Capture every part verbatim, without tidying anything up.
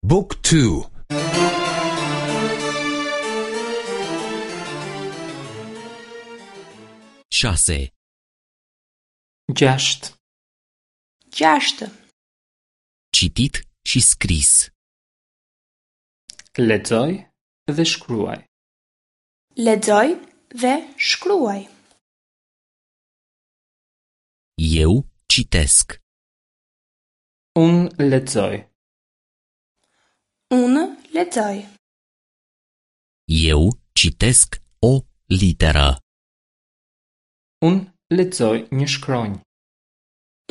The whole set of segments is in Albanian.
Book two. Șase. Gjashtë. Gjashtë. Citit și scris. Lexoj dhe shkruaj. Lexoj dhe shkruaj. Eu citesc. Unë lexoj. Unë lexoj. Eu citesc o literă. Unë lexoj një shkronjë.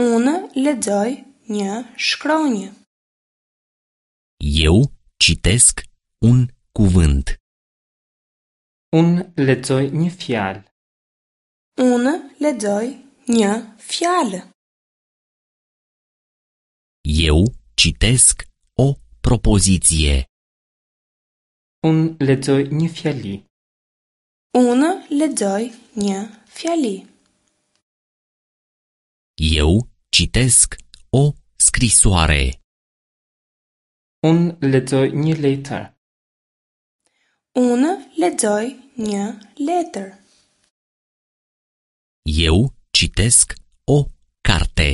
Unë lexoj një shkronjë. Eu citesc un cuvânt. Unë lexoj një fjalë. Unë lexoj një fjalë. Eu citesc o propoziție. Unë lexoj një fjali. Unë lexoj një fjali. Eu citesc o scrisoare. Unë lexoj një letër. Unë lexoj një letër. Eu citesc o carte.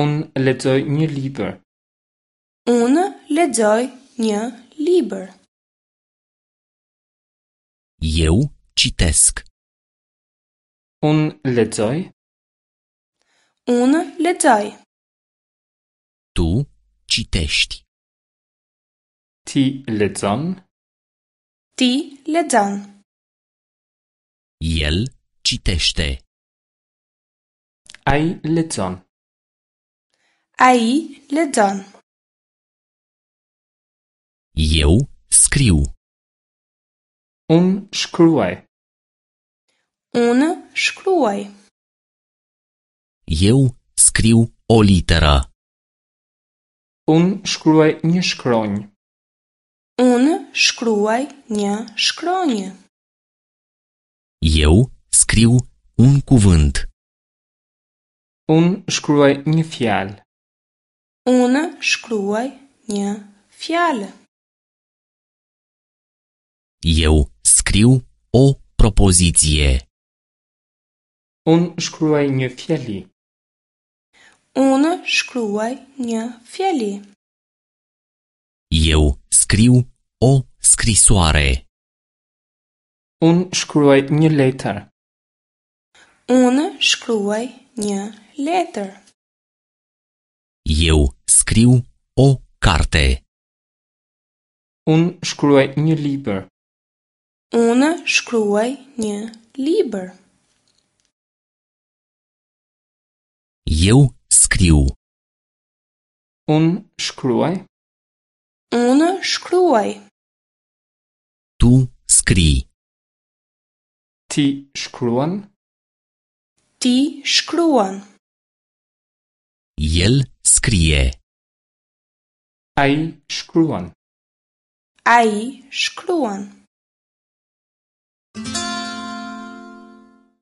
Unë lexoj një libër. Unë lexoj një libër. Eu citesc. Unë lexoj. Unë lexoj. Tu citești. Ti lexon. Ti lexon. El citește. Ai lexon. Ai lexon. Eu scriu. Unë shkruaj. Unë shkruaj. Eu scriu o literă. Unë shkruaj një shkronjë. Unë shkruaj një shkronjë. Eu scriu un cuvânt. Unë shkruaj një fjalë. Unë shkruaj një fjalë. Eu scriu o propoziție. Unë shkruaj një fjali. Unë shkruaj një fjali. Eu scriu o scrisoare. Unë shkruaj një letër. Unë shkruaj një letër. Eu scriu o carte. Unë shkruaj një libër. Unë shkruaj një libër. Eu scriu. Unë shkruaj. Unë shkruaj. Tu scrii. Ti shkruan. Ti shkruan. El scrie. Ai shkruan. Ai shkruan.